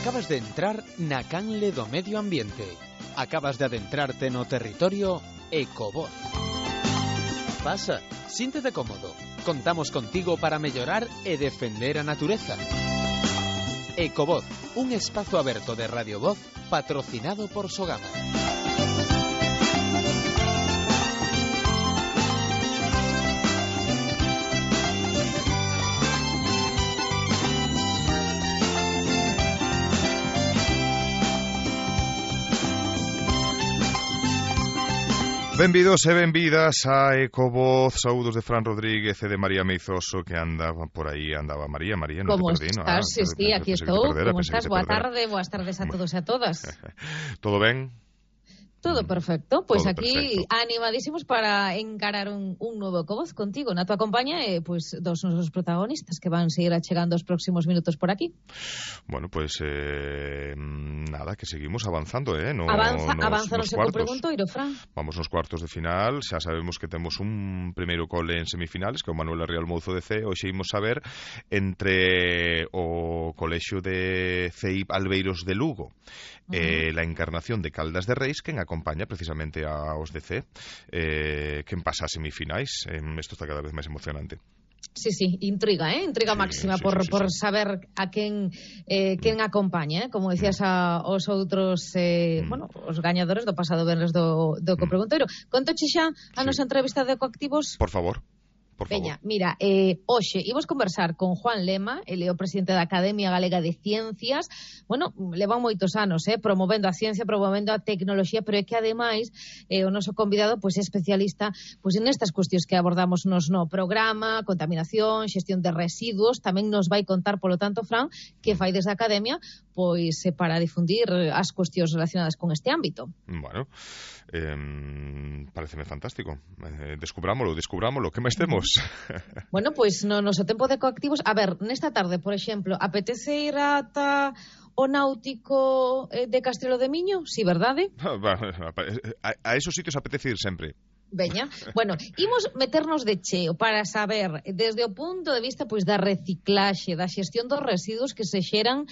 Acabas de entrar na canle do medio ambiente. Acabas de adentrarte no territorio Ecovoz. Pasa, síntete cómodo. Contamos contigo para mellorar e defender a natureza. Ecovoz, un espazo aberto de Radio Voz patrocinado por Sogama. Benvidos e benvidas a Ecovoz. Saúdos de Fran Rodríguez e de María Meizoso, que andaba por aí. Andaba María, non como te perdí, estás? Sí, aquí estou. Como estás? Boas tardes a todos e a todas. Todo ben? Todo perfecto, pois Todo aquí perfecto. animadísimos para encarar un novo Ecovoz contigo na tua compañía e pois dos nosos protagonistas que van seguir achegando os próximos minutos por aquí. Bueno, pois nada, que seguimos avanzando, Avanza no seco preguntoiro, Fran. Vamos nos cuartos de final, xa sabemos que temos un primeiro cole en semifinales, que é o Manuel Arrial Mouzo de C. Hoxe imos saber entre o Colexio de CEIP Albeiros de Lugo e la Encarnación de Caldas de Reis, quen acompaña precisamente aos de C, quen pasa a semifinais. Isto está cada vez máis emocionante. Sí, intriga, intriga máxima por saber a quen acompaña, como decías aos outros, os gañadores do pasado venres do Ecopreguntoiro. Contoche xa a nosa entrevista de Ecoactivos? Por favor. Veña, mira, hoxe imos conversar con Juan Lema, ele é o presidente da Academia Galega de Ciencias. Bueno, levan moitos anos promovendo a ciencia, promovendo a tecnoloxía, pero é que ademais o noso convidado pois é especialista pois nestas cuestións que abordamos nos no programa, contaminación, xestión de residuos. Tamén nos vai contar, polo tanto, Fran, que fai desde a Academia pois para difundir as cuestións relacionadas con este ámbito. Bueno, pareceme fantástico. Descubrámolo, que máis temos? Bueno, pois no noso tempo de Ecoactivos, a ver, nesta tarde, por exemplo, apetece ir ata o náutico de Castrelo de Miño? Si, verdade? A esos sitios apetece ir sempre. Veña, bueno, imos meternos de cheo para saber, desde o punto de vista pois da reciclaxe, da xestión dos residuos que se xeran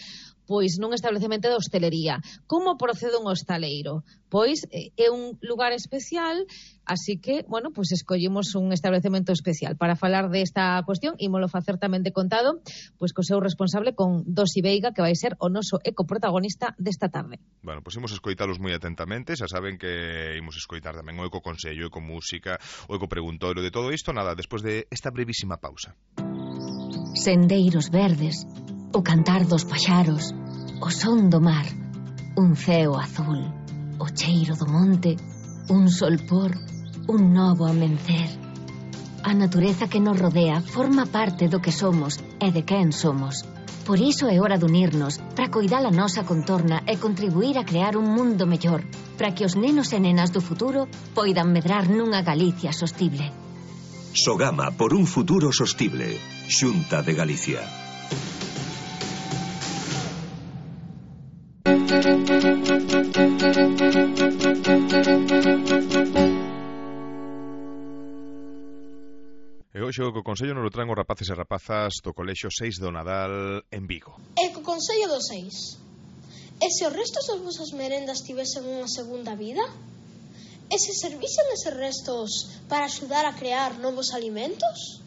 pois nun establecemento de hostelería. Como procede un hostaleiro? Pois é un lugar especial, así que, bueno, pois escollimos un establecemento especial. Para falar desta cuestión, ímolo facer tamén de contado, pois co seu responsable, con Dosi Veiga, que vai ser o noso ecoprotagonista desta tarde. Bueno, pois imos escoitalos moi atentamente. Xa saben que imos escoitar tamén o Ecoconsello, Ecomúsica, o Ecopreguntoiro, de todo isto, nada, despois de esta brevísima pausa. Sendeiros verdes, o cantar dos paxaros, o son do mar, un ceo azul, o cheiro do monte, un solpor, un novo amencer. A natureza que nos rodea forma parte do que somos e de quen somos. Por iso é hora de unirnos para coidar a nosa contorna e contribuir a crear un mundo mellor, para que os nenos e nenas do futuro poidan medrar nunha Galicia sostible. Sogama por un futuro sostible. Xunta de Galicia. E hoxe o Ecoconsello nos lo traen os rapaces e rapazas do Colexio 6 do Nadal en Vigo. Ecoconsello do 6. E se os restos das vosas merendas tivesen unha segunda vida? E se servisen eses restos para axudar a crear novos alimentos?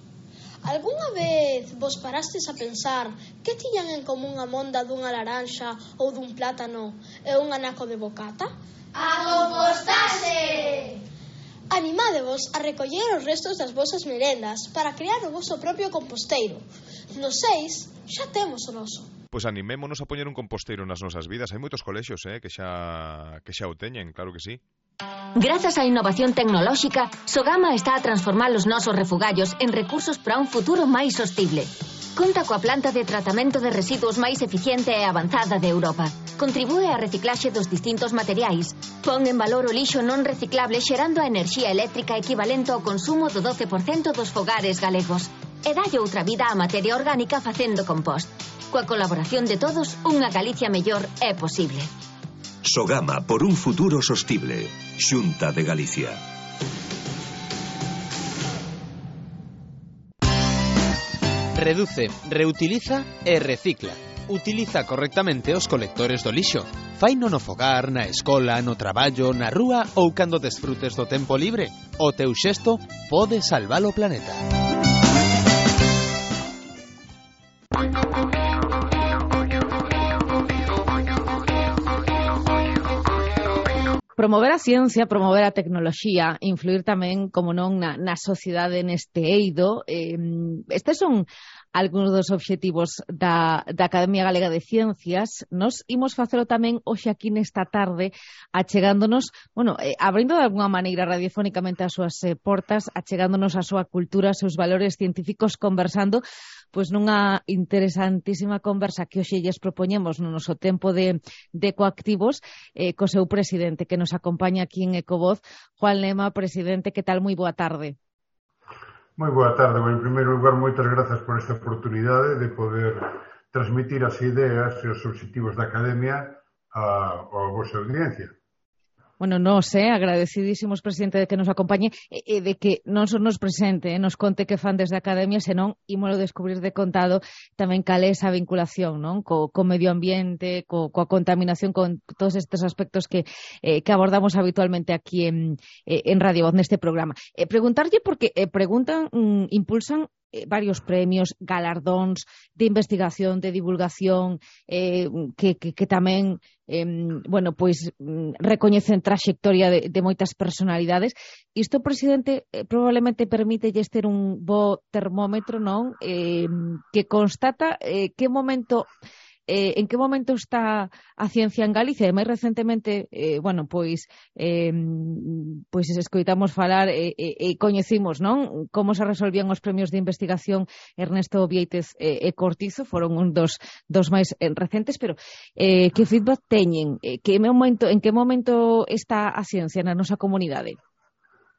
Algúnha vez vos parastes a pensar que tiñan en común a monda dunha laranxa ou dun plátano e un anaco de bocata? A compostaxe! Animádevos a recoller os restos das vosas merendas para crear o voso propio composteiro. No 6 xa temos o noso. Pois animémonos a poñer un composteiro nas nosas vidas. Hai moitos colexios que xa o teñen, claro que sí. Grazas á innovación tecnolóxica, Sogama está a transformar os nosos refugallos en recursos para un futuro máis sostible. Conta coa planta de tratamento de residuos máis eficiente e avanzada de Europa. Contribúe á reciclaxe dos distintos materiais. Pon en valor o lixo non reciclable xerando a enerxía eléctrica equivalente ao consumo do 12% dos fogares galegos. E dalle outra vida á materia orgánica facendo compost. Coa colaboración de todos, unha Galicia mellor é posible. Sogama por un futuro sostible. Xunta de Galicia. Reduce, reutiliza e recicla. Utiliza correctamente os colectores do lixo. Faino no fogar, na escola, no traballo, na rúa ou cando desfrutes do tempo libre. O teu xesto pode salvar o planeta. Promover a ciencia, promover a tecnoloxía, influir tamén, como non, na sociedade neste eido. Estes son algúns dos obxectivos da Academia Galega de Ciencias. Nos imos facelo tamén hoxe aquí nesta tarde, achegándonos, abrindo de alguna maneira radiofónicamente as súas portas, achegándonos a súa cultura, os seus valores científicos, conversando pois nunha interesantísima conversa que hoxe lles propoñemos no noso tempo de Ecoactivos co seu presidente que nos acompaña aquí en Ecovoz, Juan Lema. Presidente, que tal? Moi boa tarde. Moi boa tarde. En primeiro lugar, moitas grazas por esta oportunidade de poder transmitir as ideas e os obxectivos da Academia á vosa audiencia. Agradecidísimos, presidente, de que nos acompañe e de que non só nos presente, nos conte que fan desde a Academia, senón ímolo descubrir de contado tamén cal é esa vinculación, non? Co medio ambiente, coa contaminación, con todos estes aspectos que abordamos habitualmente aquí en Radio Voz neste programa. Preguntarlle porque impulsan varios premios, galardóns de investigación, de divulgación, que tamén recoñecen traxectoria de moitas personalidades. Isto, presidente, probablemente permítelle ter un bo termómetro, non? Que constata en que momento está a ciencia en Galicia. E máis recentemente, escoitamos falar e coñecimos, non? Como se resolvían os premios de investigación Ernesto Viéitez e Cortizo, foron un dos máis recentes, pero que feedback teñen? En que momento está a ciencia na nosa comunidade?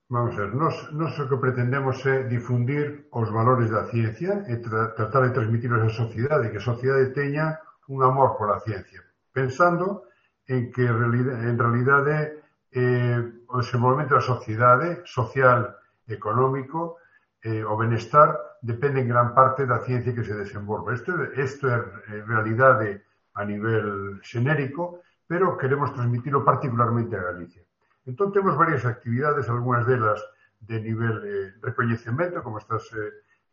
Vamos a ver, nós o que pretendemos é difundir os valores da ciencia e tratar de transmitirlos á sociedade, que a sociedade teña un amor pola ciencia, pensando en que en realidade o desenvolvemento da sociedade, social, económico, o benestar, depende en gran parte da ciencia que se desenvolve. Isto é realidade a nivel xenérico, pero queremos transmitilo particularmente a Galicia. Entón, temos varias actividades, algunhas delas de nivel recoñecemento, como estás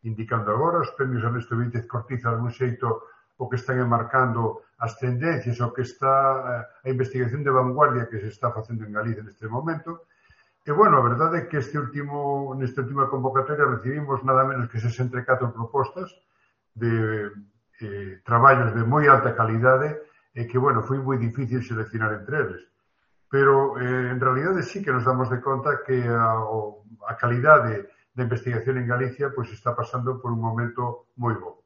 indicando agora, os premios Ernesto Viéitez Cortizo, algún xeito, o que están enmarcando as tendencias, o que está a investigación de vanguardia que se está facendo en Galicia neste momento. E, a verdade é que nesta última convocatoria recibimos nada menos que 64 propostas de traballos de moi alta calidade e que, foi moi difícil seleccionar entre eles. Pero, en realidade, sí que nos damos de conta que a calidade da investigación en Galicia está pasando por un momento moi bo.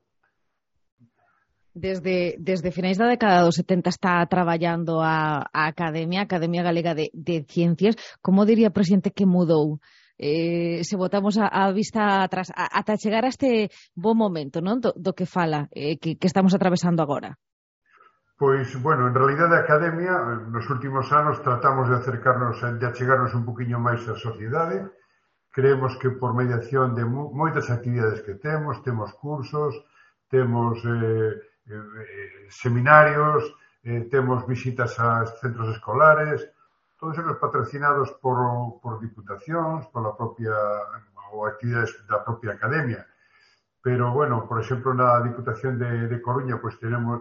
Desde finais da década dos 70 está traballando a Academia Galega de Ciencias. Como diría, presidente, que mudou? Se botamos a vista atrás, ata chegar a este bo momento, non? Do que fala, que estamos atravesando agora. Pois, en realidade a Academia, nos últimos anos, tratamos de acercarnos, de achegarnos un poquinho máis á sociedade. Creemos que por mediación de moitas actividades que temos cursos, temos seminarios, temos visitas a centros escolares, todos eles patrocinados por diputacións, pola propia ou actividades da propia Academia. Pero, por exemplo, na Diputación de Coruña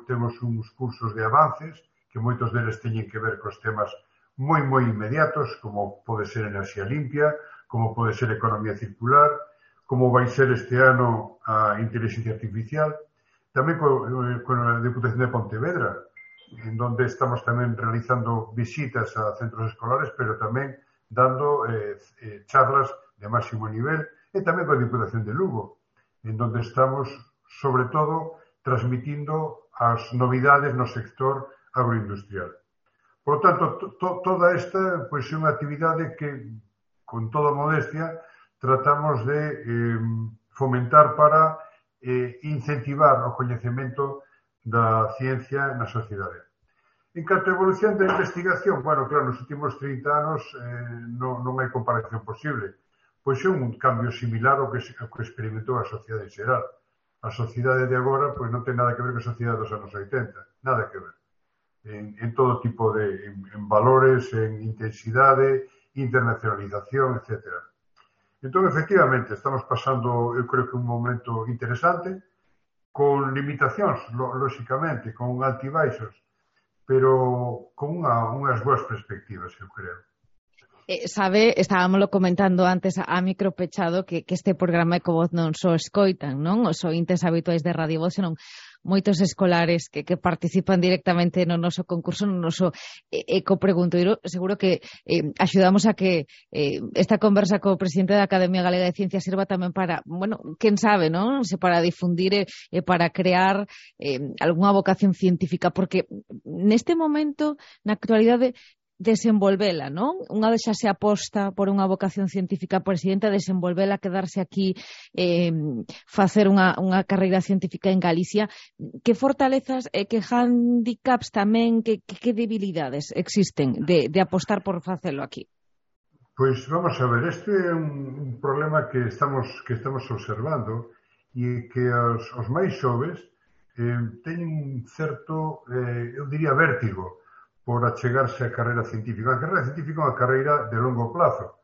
temos uns cursos de avances que moitos deles teñen que ver cos temas moi inmediatos, como pode ser enerxía limpia, como pode ser economía circular, como vai ser este ano a inteligencia artificial. Tamén con a Diputación de Pontevedra, en donde estamos tamén realizando visitas a centros escolares, pero tamén dando charlas de máximo nivel, e tamén con a Diputación de Lugo, en donde estamos, sobre todo, transmitindo as novidades no sector agroindustrial. Por lo tanto, toda esta é unha actividade que, con toda modestia, tratamos de fomentar para incentivar o coñecemento da ciencia na sociedade. En canto a evolución da investigación, claro, nos últimos 30 anos non hai comparación posible, pois é un cambio similar ao que experimentou a sociedade en xeral. A sociedade de agora pois non ten nada que ver con a sociedade dos anos 80, nada que ver. En todo tipo de en valores, en intensidade, internacionalización, etc. Entón, efectivamente, estamos pasando, eu creo que un momento interesante, con limitacións, lóxicamente, con altibaixos, pero con unhas boas perspectivas, eu creo. Sabe, estábamoslo comentando antes a micro pechado que este programa Ecovoz non só escoitan, non? Os ointes habituais de Radio Voz, senón moitos escolares que participan directamente no noso concurso, no noso ecopreguntoiro. Seguro que axudamos a que esta conversa co presidente da Academia Galega de Ciencias sirva tamén para, bueno, quen sabe, non? Para difundir e para crear algunha vocación científica, porque neste momento, na actualidade, desenvolvela, non? Unha vez xa se aposta por unha vocación científica, presidenta, desenvolvela, quedarse aquí, facer unha carreira científica en Galicia. Que fortalezas e que handicaps tamén, que debilidades existen de apostar por facelo aquí? Pois vamos a ver, este é un problema que estamos observando e que os máis xoves teñen certo, eu diría, vértigo por achegarse á carreira científica. A carreira científica é unha carreira de longo plazo,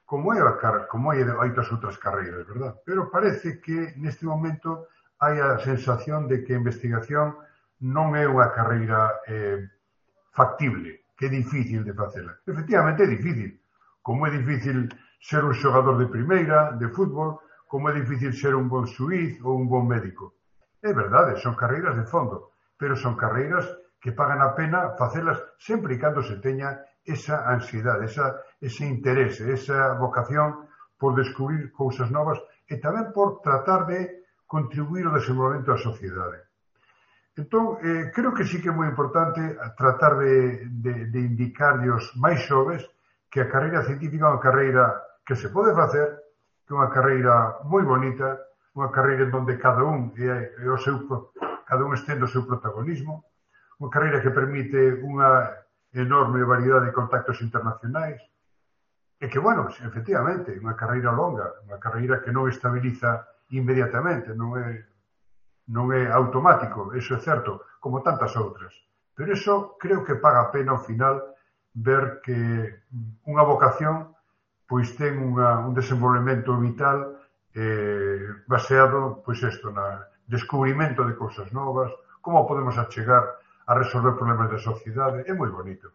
como hai outras outras carreiras, verdad? Pero parece que neste momento hai a sensación de que a investigación non é unha carreira factible, que é difícil de facela. Efectivamente é difícil, como é difícil ser un xogador de primeira, de fútbol, como é difícil ser un bon xuíz ou un bon médico. É verdade, son carreiras de fondo, pero son carreiras que pagan a pena facelas sempre e cando se teña esa ansiedade, ese interese, esa vocación por descubrir cousas novas e tamén por tratar de contribuir ao desenvolvemento da sociedade. Entón, creo que sí que é moi importante tratar de indicarlle aos máis xoves que a carreira científica é unha carreira que se pode facer, que é unha carreira moi bonita, unha carreira onde cada un estende o seu protagonismo, unha carreira que permite unha enorme variedade de contactos internacionais e que, bueno, efectivamente, unha carreira longa, unha carreira que non estabiliza inmediatamente, non é automático, eso é certo, como tantas outras. Pero eso creo que paga a pena ao final ver que unha vocación pois ten un desenvolvemento vital baseado, pois isto, na descubrimento de cousas novas, como podemos achegar a resolver problemas da sociedade, é moi bonito.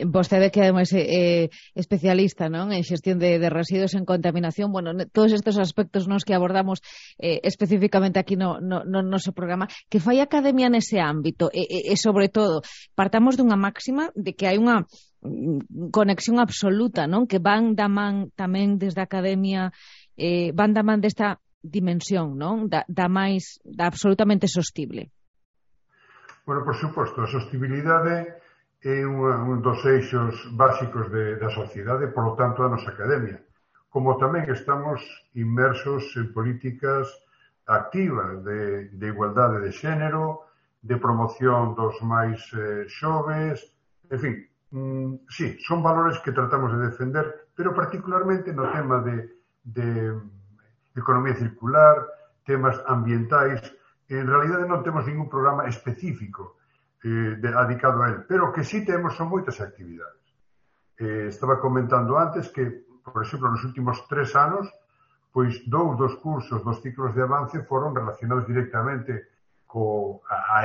Vostede que ademais é especialista, non, en xestión de residuos, en contaminación, bueno, todos estes aspectos nos que abordamos especificamente aquí no noso programa, que fai a Academia nese ámbito e sobre todo, partamos dunha máxima de que hai unha conexión absoluta, non, que van da man tamén desde a Academia, van da man desta dimensión, non, da absolutamente sostible. Bueno, por suposto, a sostibilidade é un dos eixos básicos da sociedade, por lo tanto, da nosa academia. Como tamén estamos inmersos en políticas activas de igualdade de xénero, de promoción dos máis xoves, en fin, sí, son valores que tratamos de defender, pero particularmente no tema de economía circular, temas ambientais. En realidade non temos ningún programa específico dedicado a él, pero que sí temos son moitas actividades. Estaba comentando antes que, por exemplo, nos últimos 3 anos, pois 2 dos cursos dos ciclos de avance foron relacionados directamente a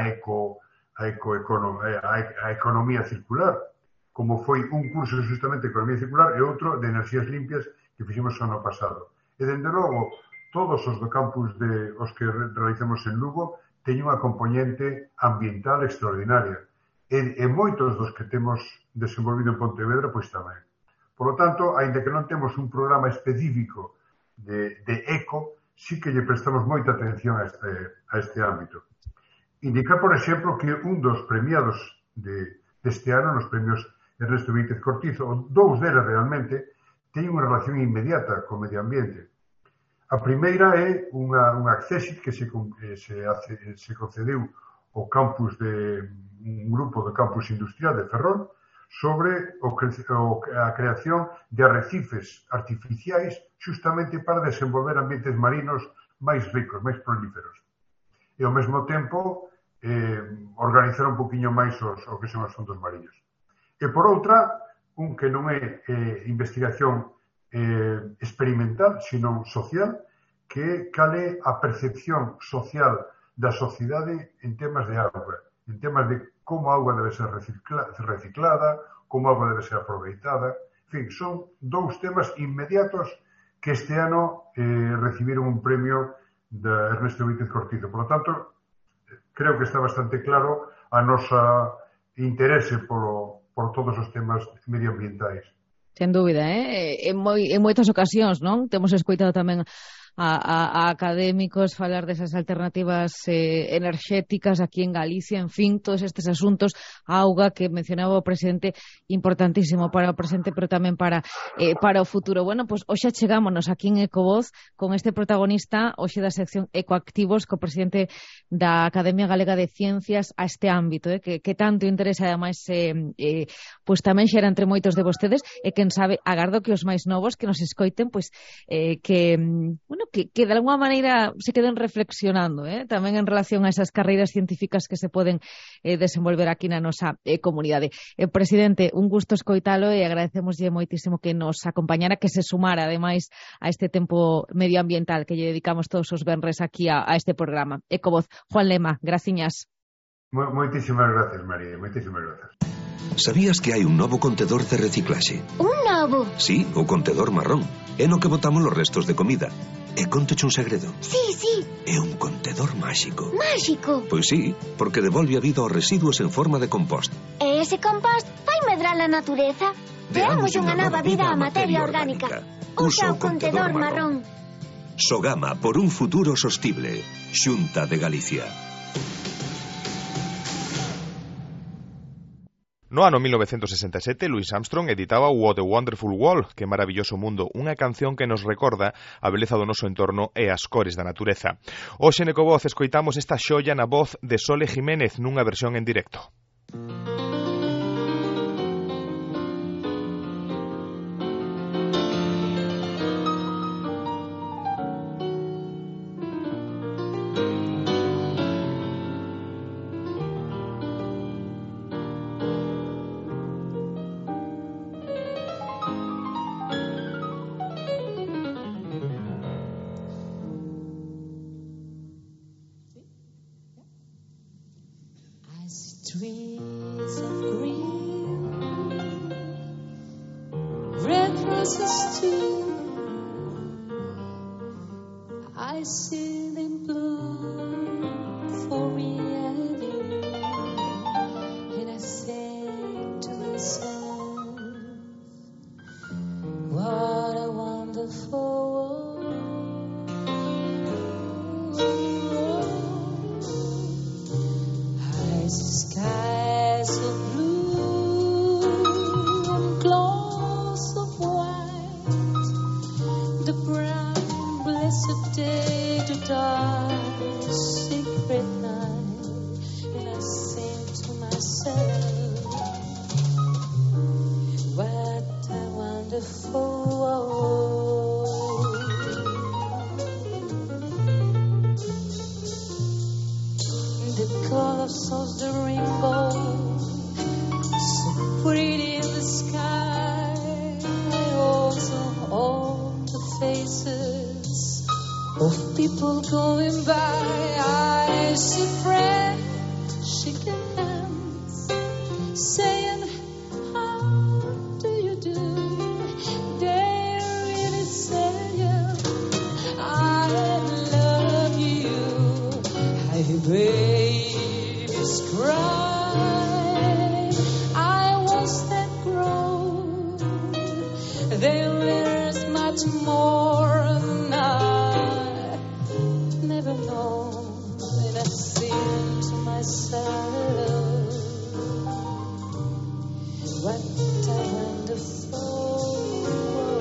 economía circular, como foi un curso justamente de economía circular e outro de enerxías limpias que fixemos o ano pasado. E, dende logo, todos os do campus os que realizamos en Lugo teñen unha componente ambiental extraordinaria. E moitos dos que temos desenvolvido en Pontevedra, pois tamén. Por lo tanto, aínda que non temos un programa específico de eco, sí que lle prestamos moita atención a este ámbito. Indicar, por exemplo, que un dos premiados deste ano, nos premios Ernesto Víquez Cortizo, 2 deles realmente, teñen unha relación inmediata co medio ambiente. A primeira é unha accésit que se concedeu ao campus un grupo do campus industrial de Ferrol sobre a creación de arrecifes artificiais justamente para desenvolver ambientes marinos máis ricos, máis prolíferos. E ao mesmo tempo organizar un poquinho máis o que son os fondos mariños. E por outra, un que non é investigación experimental, sino social, que cale a percepción social da sociedade en temas de auga, en temas de como a auga debe ser reciclada, como a auga debe ser aproveitada. En fin, son dous temas inmediatos que este ano recibiron un premio de Ernesto Víquez Cortizo. Por lo tanto, creo que está bastante claro a nosa interese por todos os temas medioambientais. Sen dúbida, en moitas ocasións, non? Temos escoitado tamén a académicos falar desas alternativas enerxéticas aquí en Galicia, en fin, todos estes asuntos, a auga que mencionaba o presidente, importantísimo para o presente, pero tamén para o futuro. Bueno, pois hoxe chegámonos aquí en Ecovoz con este protagonista, hoxe da sección Ecoactivos, co presidente da Academia Galega de Ciencias a este ámbito, que tanto interesa, ademais, pois tamén xera entre moitos de vostedes, e quen sabe, agardo que os máis novos que nos escoiten, pois que de alguma maneira se queden reflexionando tamén en relación a esas carreiras científicas que se poden desenvolver aquí na nosa comunidade. Presidente, un gusto escoitalo e agradecemoslle moitísimo que nos acompañara, que se sumara ademais a este tempo medioambiental que lle dedicamos todos os venres aquí a este programa. Ecovoz, Juan Lema, graciñas. Moitísimas gracias, María, moitísimas gracias. Sabías que hai un novo contedor de reciclaxe? Un novo? Sí, o contedor marrón. É no que botamos os restos de comida. E contoche un segredo. Sí. É un contedor máxico. Máxico? Pois sí, porque devolve a vida aos residuos en forma de compost. E ese compost vai medrar a natureza? Deamos unha nova vida á materia orgánica. Usa o contedor marrón. Sogama por un futuro sostible. Xunta de Galicia. No ano 1967, Louis Armstrong editaba What a Wonderful World, que maravilloso mundo, unha canción que nos recorda a beleza do noso entorno e as cores da natureza. Hoxe en Ecovoz escoitamos esta xoia na voz de Sole Jiménez nunha versión en directo. Trees of green, red roses too. I see them bloom for me and you, and I say to myself, what a wonderful world. I see skies of blue and clouds of white, the brown blessed day to dark secret night, and I sing to myself, what a wonderful world. The colors of the rainbow, so pretty in the sky. I also hold the faces of people going by. I see friends shaking hands, saying, how do you do? They really say, I love you. I babies cry. I was that grown. There is much more than I never known. And I sing to myself, what a wonderful world.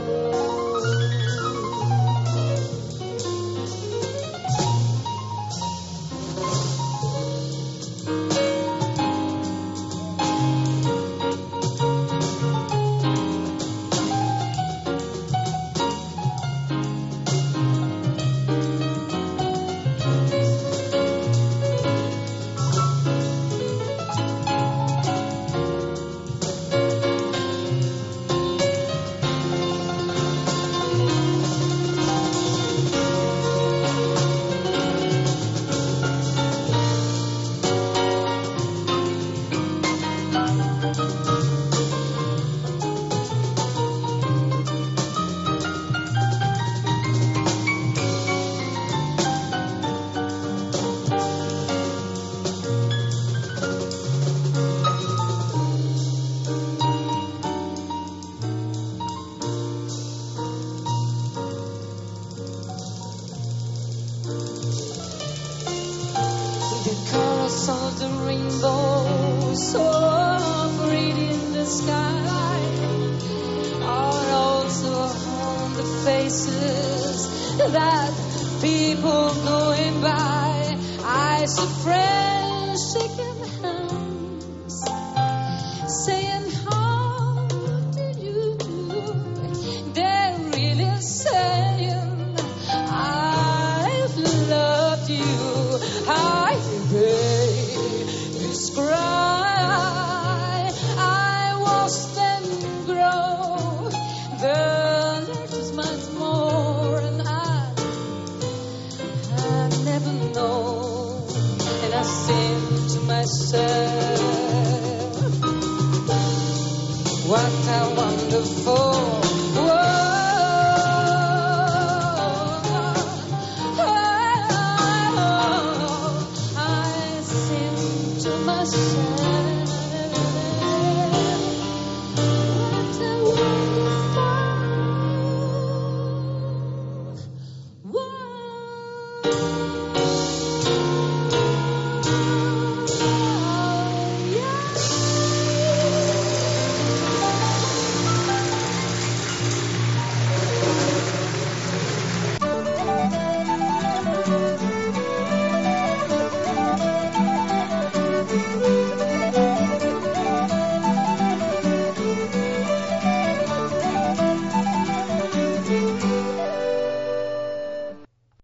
that people going by, I see friends shaking hands, saying, how do you do? They're really saying, I've loved you. I baby's cry, I watched them grow. The letters much more, and I never know. And I think to myself, what a wonderful